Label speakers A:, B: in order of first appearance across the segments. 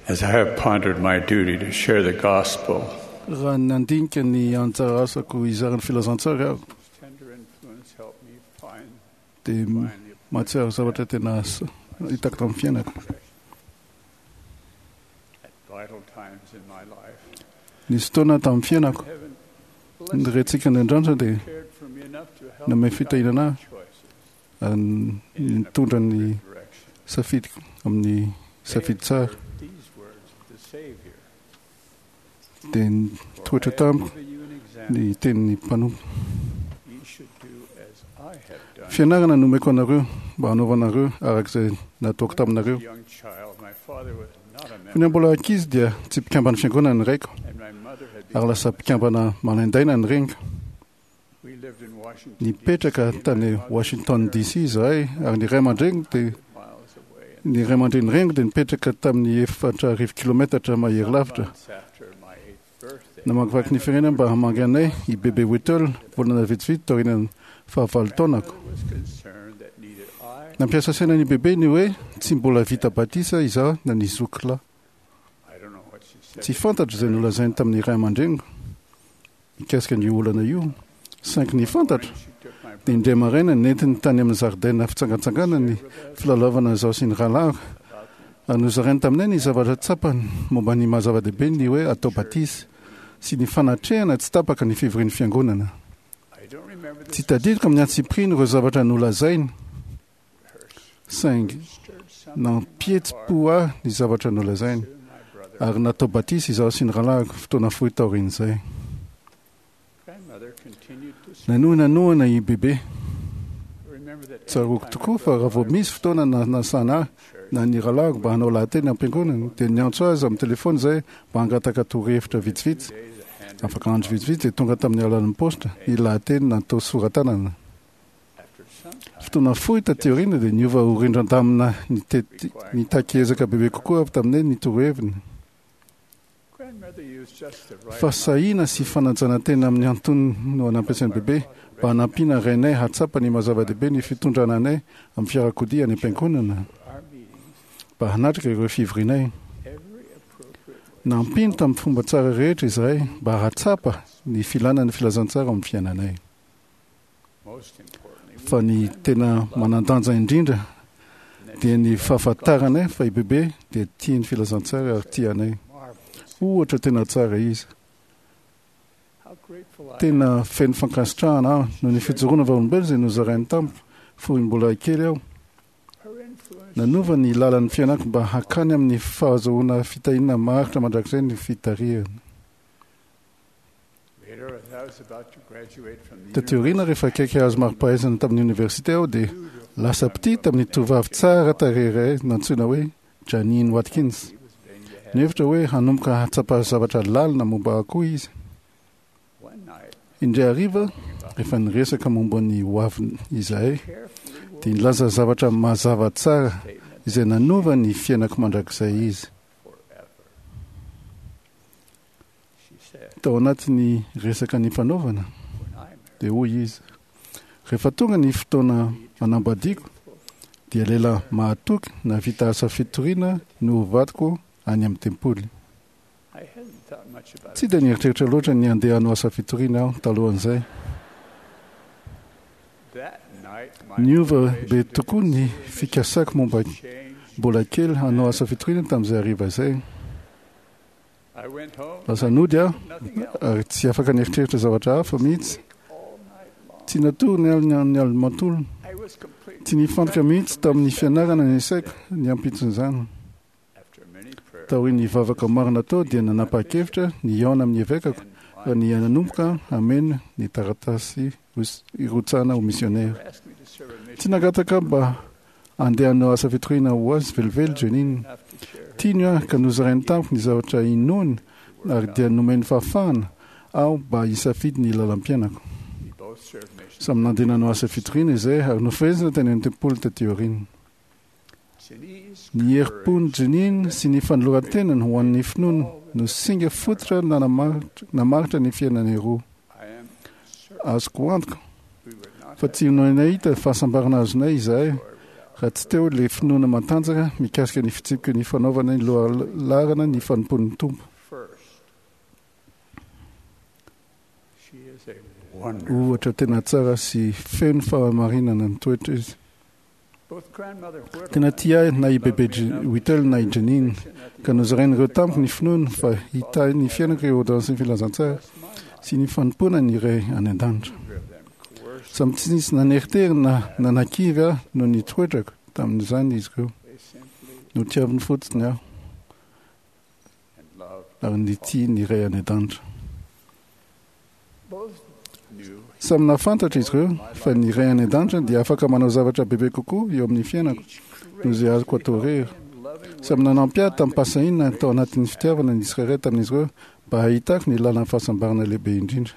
A: As I have pondered my duty to share the gospel,
B: Raha nandinika ny anjara asako hizara ny filazantsara aho,
A: tender influence helped me find
B: dia mahatsiaro zavatra tena hitako tamin'ny fiainako.
A: at vital times in my life.
B: Nisy fotoana tamin'ny fiainako,
A: Heaven
B: ny rentsika any an-danitra dia
A: cared for me enough to help
B: nanome
A: me
B: fitahiana
A: guide
B: ahy
A: my choices
B: ary nitondra ny
A: in direction.
B: safidiko amin'ny safidy tsara.
A: These words of the Savior.
B: Dia nitoetra
A: For I have
B: tamiko
A: given you an example.
B: ny tenin'ny mpanompo.
A: Ye should do as I have done.
B: Fianarana nomeko anareo mba hanaovanareo araka izay nataoko taminareo.
A: As a young child, my father was not a
B: Fony
A: member,
B: mbola ankizy dia tsy mpikambana fiangonana ny raiko
A: and my mother had
B: ary
A: become
B: lasa
A: a
B: mpikambana malaindaina ny reniko.
A: We lived in Washington,
B: Nipetraka
A: D.C., and my
B: tany
A: mother's
B: Washington
A: parents
B: DC izahay ary ny ray aman-dreniko dia
A: miles away. And
B: ny ray aman-dreny reniko dia nipetraka tamin'ny 4000 kilometatra mahery lavitra.
A: months after my eighth birthday,
B: Namakivaky ny firenena mba hamangy anay i Bebe Whittle volana vitsivitsy taorian'ny fahavalo taonako.
A: grandmother was concerned that neither I,
B: Nampiasa saina ny Bebe ny hoe tsy mbola vita batisa izaho na ny zoky lahy.
A: I don't know what she said.
B: Tsy fantatro izay nolazainy tamin'ny ray aman-dreniko mikasika ny olana io. Saingy ny fantatro
A: She took my
B: dia indray maraina nentiny tany amin'ny zaridaina fitsangantsangana ny filalaovana izaho sy ny rahalahiko. Ary nozarainy taminay ny zavatra tsapany momba ny maha zava-dehibe ny hoe atao batisa sy ny fanatrehana tsy tapaka ny fivorian'ny fiangonana.
A: I don't remember the
B: Tsy tadidiko amin'ny antsipiriany ireo zavatra nolazainy,
A: her
B: saingy
A: stirred something
B: nampihetsi-po ahy ny zavatra nolazainy
A: to my brother.
B: ary natao batisa izaho sy ny rahalahiko fotoana fohy taorian'izay.
A: Grandmother continued to speak.
B: Nanohy nanohana i Bebe.
A: Remember that
B: Tsaroako
A: anytime
B: tokoa
A: my
B: fa raha vao
A: brother
B: misy fotoana nanasana ahy
A: church,
B: na ny rahalahiko mba hanao lahateny am-piangonana dia niantso azy amin'ny telefona izay mba hangataka torohevitra vitsivitsy.
A: days a handwritten
B: Afaka andro vitsivitsy dia tonga tamin'ny alalan'ny paositra ny lahateny natao sora-tanana.
A: after some time
B: Fotoana fohy taty aoriana dia niova ho rindran-damina nitety- nitaky ezaka bebe kokoa avy taminay ny toroheviny.
A: grandmother used just the right
B: Fahasahiana sy fanajana tena amin'ny antonony no anampiasain'i Bebe mba hanampiana rainay hahatsapa ny maha zava-dehibe ny fitondrana anay amin'ny fiarakodia any am-piangonana
A: our meetings
B: mba hanatrika ireo fivorianay.
A: every appropriate way.
B: Nampiany tamin'ny fomba tsara rehetra izahay mba hahatsapa ny filana ny filazantsara amin'ny fiainanay.
A: Most importantly, we
B: Fa ny tena manan-danja indrindra dia ny fahafantaranay fa i Bebe dia tia ny filazantsara ary tia anay.
A: marvelous
B: Ohatra tena tsara izy.
A: how grateful I
B: Tena feno fankasitrahana aho noho ny fijoroana vavolombelona izay nozarainy tamiko fony mbola kely aho.
A: her influence
B: Nanova ny lalan'ny fiainako mba hakany amin'ny fahazoana fitahiana maharitra mandrakizay ny fitarihana.
A: later as I was about to graduate from the
B: Taty aoriana rehefa akaiky hahazo mari-pahaizana tamin'ny oniversite aho dia lasa mpitia tamin'ny tovovavy tsara tarehy iray nantsoina hoe Janine Watkins.
A: he was vain to have
B: Nihevitra hoe hanomboka hahatsapa zavatra lalina momba ahy koa izy.
A: one night
B: Indray hariva, rehefa niresaka momba ny hoaviny izahay,
A: carefully
B: dia nilaza zavatra mazava tsara
A: statement
B: izay nanova ny fiainako mandrakizay izy.
A: forever. She said,
B: Tao anatin'ny resaka nifanaovana,
A: when I marry
B: dia hoy izy: rehefa tonga ny fotoana manambadiako, dia lehilahy mahatoky nahavita asa fitoriana no ho vadiko any amin'ny tempoly.
A: I hadn't thought much about
B: Tsy dia nieritreritra loatra ny handeha hanao asa fitoriana aho talohan'izay.
A: that night. My
B: Niova be
A: motivation to
B: tokoa ny
A: consider
B: fikasako momba
A: changed.
B: mbola kely hanao asa fitoriana tamin'izay hariva izay.
A: I went home.
B: Lasa nody aho
A: Nothing else.
B: ary tsy afaka nieritreritra zavatra hafa mihitsy.
A: All night long.
B: Tsy natory ny alina ny alina manontolo.
A: I was completely
B: Tsy nifantoka mihitsy tamin'ny fianarana ny saiko ny ampitson'izany.
A: after many prayers
B: Taorian'ny vavaka maro natao dia nanapa-kevitra ny hihaona amin'ny evekako
A: and
B: ary ny nanomboka hameno ny taratasy hirotsahana ho misionera.
A: asked me to serve a mission
B: Tsy nangataka mba handeha hanao asa fitoriana ho azy velively Janine.
A: enough to share her
B: Tiany aho ka nozarainy tamiko ny zavatra inoany ary dia nomeny fahafahana aho mba hisafidy ny lalam-piainako.
A: We both served missions.
B: Samy nandeha nanao asa fitoriana izay ary nofehezina tany amin'ny tempoly taty aoriana.
A: Janine's
B: Ny herim-pon'i Janine sy ny fanoloran-tenany ho an'ny finoana no singa fototra namaritra ny fiainanay roa.
A: I am certain
B: Azoko antoka
A: we would not
B: fa tsy nahita fahasambarana azonay izahay
A: have joy without.
B: raha tsy teo ilay finoana matanjaka mikasika ny fitsipiky ny fanaovana ny lohalaharana ny fanompoan'ny Tompo. Ohatra tena tsara sy feno fahamarinana ny toetra izy. Tena tia ahy na i Bebe Whittle na i Jeanine, ka nozarain'ireo tamiko ny finoany fa hitahy ny fiainako ireo ôrdônansin'ny filazantsara sy ny fanompoana ny Ray any An-danitra. Samy tsy nisy naneritery na nanakivy ahy noho ny toetrako tamin'izany izy ireo. Notiaviny fotsiny aho ary nitia ny Ray any An-danitra. Samy nahafantatra izy ireo fa ny Ray any An-danitra dia afaka manao zavatra bebe kokoa eo amin'ny fiainako noho izay azoko atao irery. Samy nanampy ahy tamim-pahasahiana tao anatin'ny fitiavana ny tsirairay tamin'izy ireo mba hahitako ny lalan'ny fahasambarana lehibe indrindra.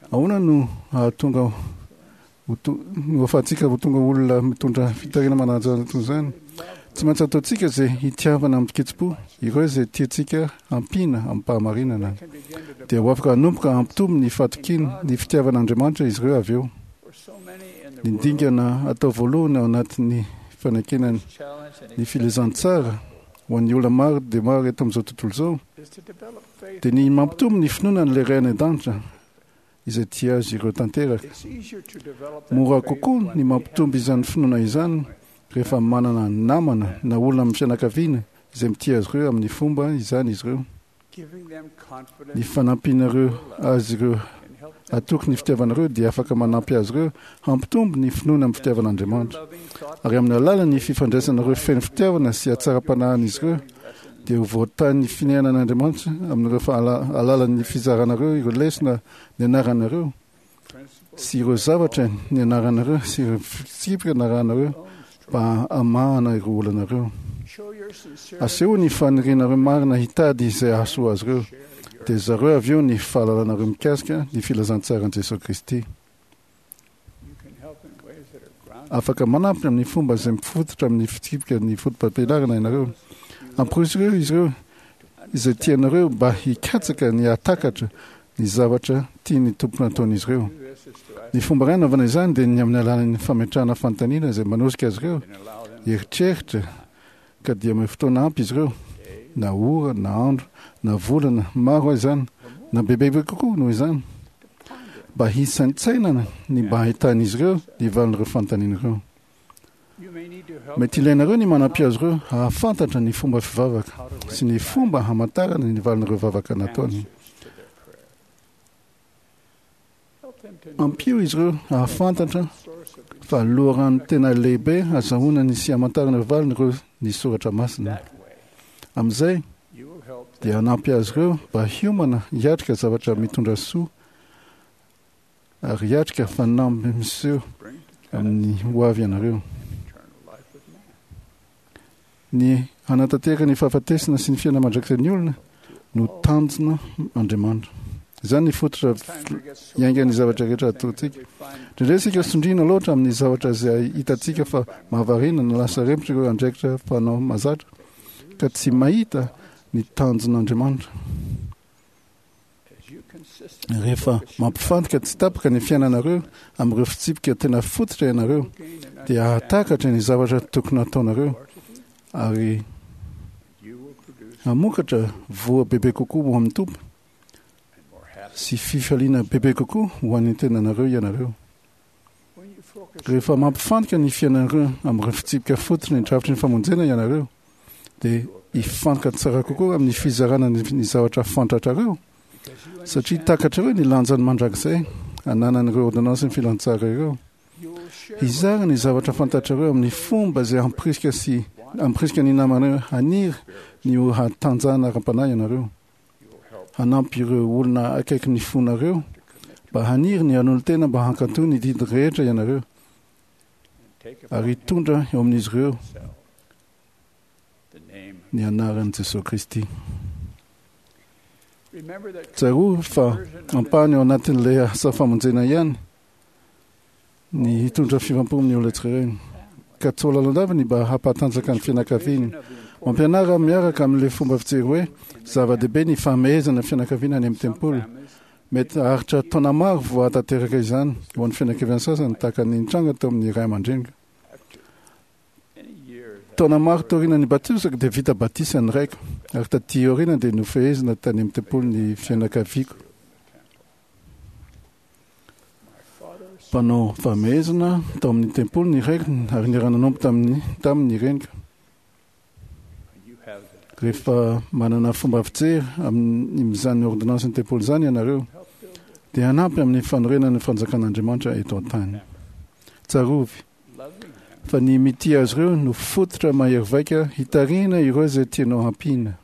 B: Ahoana no hahatonga ho to, no ahafahantsika ho tonga olona mitondra fitariana manaja toy izany? Tsy maintsy ataontsika izay hitiavana amin-kitsim-po ireo izay tiantsika hampiana amim-pahamarinana. Dia ho afaka hanomboka hampitombo ny fahatokiany ny fitiavan'Andriamanitra izy ireo avy eo. Ny dingana atao voalohany ao anatin'ny fanekena ny filazantsara ho an'ny olona maro dia maro eto amin'izao tontolo izao dia ny mampitombo ny finoana an'ilay Ray any An-danitra izay tia azy ireo tanteraka. Mora kokoa ny mampitombo izany finoana izany rehefa manana namana na olona amin'ny fianakaviana izay mitia azy ireo amin'ny fomba izany izy ireo. Ny fanampianareo azy ireo hatoky ny fitiavanareo dia afaka manampy azy ireo hampitombo ny finoana amin'ny fitiavan'Andriamanitra. Ary amin'ny alalan'ny fifandraisanareo feno fitiavana sy hatsaram-panahin'izy ireo dia ho voatahin'ny finehanan'Andriamanitra amin'ireo alalan'ny fizaranareo ireo lesona nianaranareo sy ireo zavatra nianaranareo sy ireo fitsipika narahanareo mba hamahana ireo olanareo. Asehoy ny fanirianareo marina hitady izay hahasoa azy ireo, dia zareo avy eo ny fahalalanareo mikasika ny filazantsaran'i Jesoa Kristy. Afaka manampy amin'ny fomba izay mifototra amin'ny fitsipika ny fotopampianarana ianareo. Amporisiro izy ireo izay tianareo mba hikatsaka ny hahatakatra ny zavatra tian'ny Tompo nataon'izy ireo. Ny fomba iray hanaovana izany dia ny amin'ny alalan'ny fametrahana fanontaniana izay manosika azy ireo hieritreritra ka dia omeo fotoana ampy izy ireo, na ora, na andro, na volana, maro aza izany, na bebebe kokoa noho izany, mba hisaintsainana ny mba hahitan'izy ireo ny valin'ireo fanontaniana ireo. Mety ilainareo ny manampy azy ireo hahafantatra ny fomba fivavaka sy ny fomba hamantarana ny valin'ireo vavaka nataony. Ampio izy ireo hahafantatra fa loharano tena lehibe azahoana ny sy hamantarana ireo valiny ireo ny soratra masina. Amin'izay dia hanampy azy ireo mba hiomana hiatrika zavatra mitondra soa ary hiatrika fanamby miseho amin'ny hoavy ianareo. Ny hanatanteraka ny fahafatesana sy ny fiainana mandrakizay ny olona no tanjona Andriamanitra. Izany ny fototra iaingan'ny zavatra rehetra ataontsika. Indraindray isika sondriana loatra amin'ny zavatra izay hitantsika fa mahavariana na lasa rempotra ireo andraikitra fanao mahazatra ka tsy mahita ny tanjon'Andriamanitra. Rehefa mampifantoka tsy tapaka ny fiainanareo amin'ireo fitsipika tena fototra ianareo, dia hahatakatra ny zavatra tokony hataonareo ary hamokatra voa bebe kokoa ho amin'ny Tompo sy fifaliana bebe kokoa ho an'ny tenanareo ianareo. Rehefa mampifantoka ny fiainanareo amin'ireo fitsipika fototry ny drafitry ny famonjena ianareo, dia hifantoka tsara kokoa amin'ny fizarana ny zavatra fantatrareo, satria takatrareo ny lanjany mandrakizay ananan'ireo ôrdônansin'ny filazantsara ireo. Hizara ny zavatra fantatrareo amin'ny fomba izay hampirisika sy hampirisika ny namanareo haniry ny ho hatanjahana ara-panahy ianareo. Hanampy ireo olona akaiky ny fonareo mba haniry ny hanolo-tena mba hankatò ny didy rehetra ianareo ary hitondra eo amin'izy ireo ny anaran'i Jesoa Kristy. Tsarovy fa ampahany ao anatin'ilay asa famonjena ihany ny hitondra fivampo amin'ny olona tsirairay. Ka tsy ho lalandava ny mba hampatanjaka ny fianakaviany. Mampianara miaraka amin'ilay fomba fijery hoe zava-dehibe ny fahamehezana ny fianakaviana any amin'ny tempoly. Mety haharitra taona maro vao hahatanteraka izany ho an'ny fianakaviana sasany, tahaka ny nitranga teo amin'ny ray aman-dreniko. Taona maro taorian'ny batisako dia vita batisa ny raiko, ary taty aoriana dia nofehezina tany amin'ny tempoly ny fianakaviako. Mpanao famehezana tao amin'ny tempoly ny raiko ary niara-nanompo tamin'ny tamin'ny reniko. Rehefa manana fomba fijery amin'izany ordonnansin'ny tempoly izany ianareo, dia hanampy amin'ny fanorenana ny fanjakan'Andriamanitra eto an-tany. Tsarovy fa ny mitia azy ireo no fototra mahery vaika hitarihina ireo izay tianao hampiana.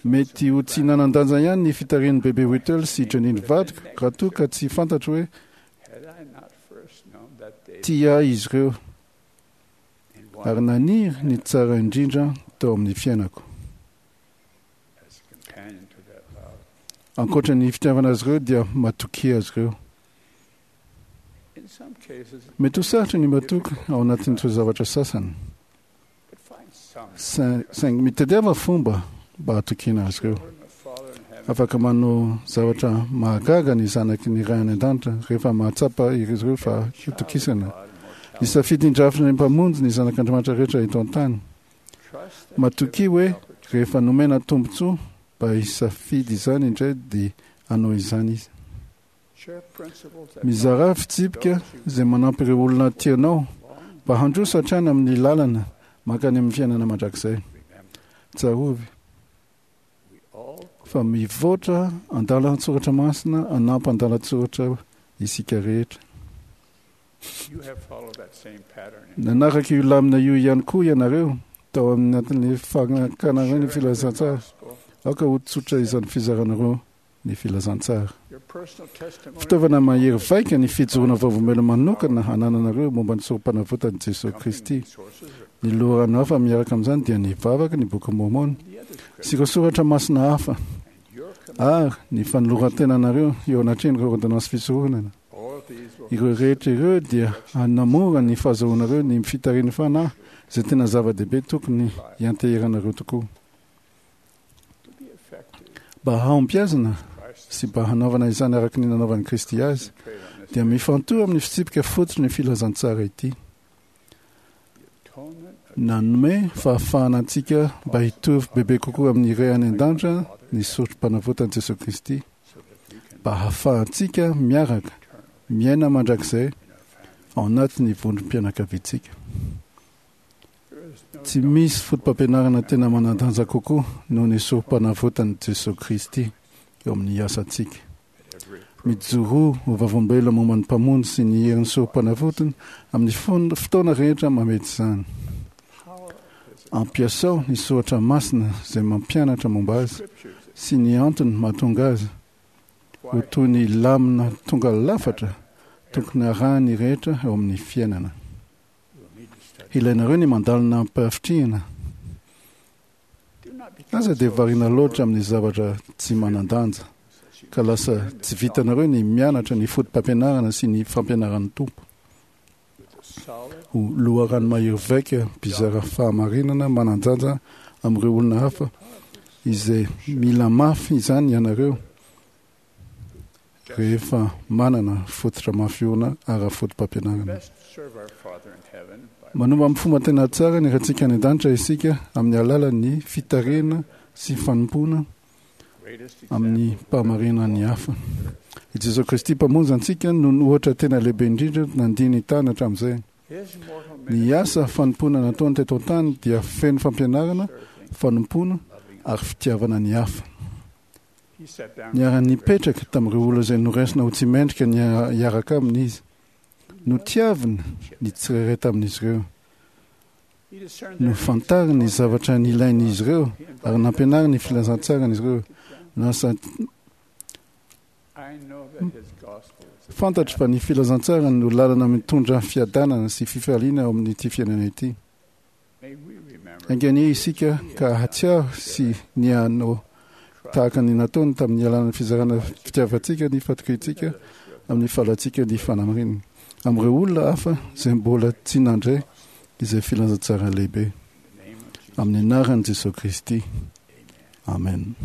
B: Mety ho tsy nanan-danja ihany ny fitarihan'i Bebe Whittle sy Janine vadiko raha toa ka tsy fantatro hoe tia ahy izy ireo ary naniry ny tsara indrindra tao amin'ny fiainako. Ankoatra ny fitiavana azy ireo dia matokia azy ireo. Mety ho sarotra ny matoky ao anatin'ny toe-javatra sasany. Saingy mitadiava fomba mba hatokiana azy ireo. Afaka manao zavatra mahagaga ny zanaky ny Ray any An-danitra rehefa mahatsapa izy ireo fa hitokisana. Nisafidy ny drafitry ny Mpamonjy ny zanak'Andriamanitra rehetra eto an-tany. Matokia hoe rehefa nomena tombontsoa mba hisafidy izany indray dia hanao izany Izy. Mizarà fitsipika izay manampy ireo olona tianao mba handroso hatrany amin'ny lalana mankany amin'ny fiainana mandrakizay. Tsarovy fa mivoatra andalan-tsoratra masina hanampy andalan-tsoratra isika rehetra. Nanaraka io lamina io ihany koa ianareo tao anatin'ny fankanareo ny filazantsara. Aoka ho tsotra izany fizaranareo ny filazantsara. Fitaovana mahery vaika ny fijoroana vavolombelona manokana anananareo momba ny Sorompanavotan'i Jesoa Kristy. Ny loharano hafa miaraka amin'izany dia ny vavaka, ny Bokin'i Môrmôna, sy ireo soratra masina hafa, ary ny fanoloran-tenanareo eo anatrehan'ireo ôrdônansy fisoronana. Ireo rehetra ireo dia hanamora ny fahazahoanareo ny fitarihan'ny Fanahy izay tena zava-dehibe tokony hianteheranareo tokoa. Mba hahombiazana sy mba hanaovana izany araka ny nanaovan'i Kristy azy, dia mifantoha amin'ny fitsipika fototry ny filazantsara ity. Nanome fahafahana antsika mba hitovy bebe kokoa amin'ny Ray any An-danitra ny Sorompanavotan'i Jesoa Kristy, mba hahafahantsika miaraka miaina mandrakizay ao anatin'ny vondrom-pianakaviantsika. Tsy misy fotopampianarana tena manan-danja kokoa noho ny Sorompanavotan'i Jesoa Kristy eo amin'ny asantsika. Mijoroa ho vavolombelona momba ny Mpamonjy sy ny herin'ny Sorompanavotany amin'ny fotoana rehetra mamety izany. Ampiasao ny soratra masina izay mampianatra momba Azy sy ny antony mahatonga Azy ho toy ny lamina tonga lafatra tokony harahin'ny rehetra eo amin'ny fiainana. Ilainareo ny mandalina amim-pahavitrihana. Aza dia variana loatra amin'ny zavatra tsy manan-danja, ka lasa tsy vitanareo ny mianatra ny fotopampianarana sy ny fampianaran'ny Tompo. Ho loharano mahery vaika mpizara fahamarinana manan-danja amin'ireo olona hafa izay mila mafy izany ianareo. rehefa manana fototra mafy orina ara-fotopampianarana. Manomba amin'ny fomba tena tsara ny Raintsika any an-danitra isika amin'ny alalan'ny fitarihana sy fanompoana amin'ny mpahamarinana ny hafa. I Jesoa Kristy Mpamonjy antsika no ohatra tena lehibe indrindra nandia ny tany hatramin'izay. Ny asa fanompoana nataony teto an-tany dia feno fampianarana, fanompoana ary fitiavana ny hafa. Niara-nipetraka tamin'ireo olona izay noraisina ho tsy mendrika ny hiaraka aminy izy. Notiaviny ny tsirairay tamin'izy ireo. Nofantariny ny zavatra nilain'izy ireo ary nampianariny ny filazantsarany izy ireo. Lasa fantatro fa ny filazantsarany no lalana mitondra fiadanana sy fifaliana ao amin'ity fiainana ity. Enga anie isika ka hahatsiaro sy ny hanao tahaka ny nataony tamin'ny alalan'ny fizarana fitiavantsika ny fatokiantsika amin'ny fahalantsika ny fanamarinana amin'ireo olona hafa izay mbola tsy nandray izay filazantsara lehibe. Amin'ny anaran'i Jesoa Kristy. Amen.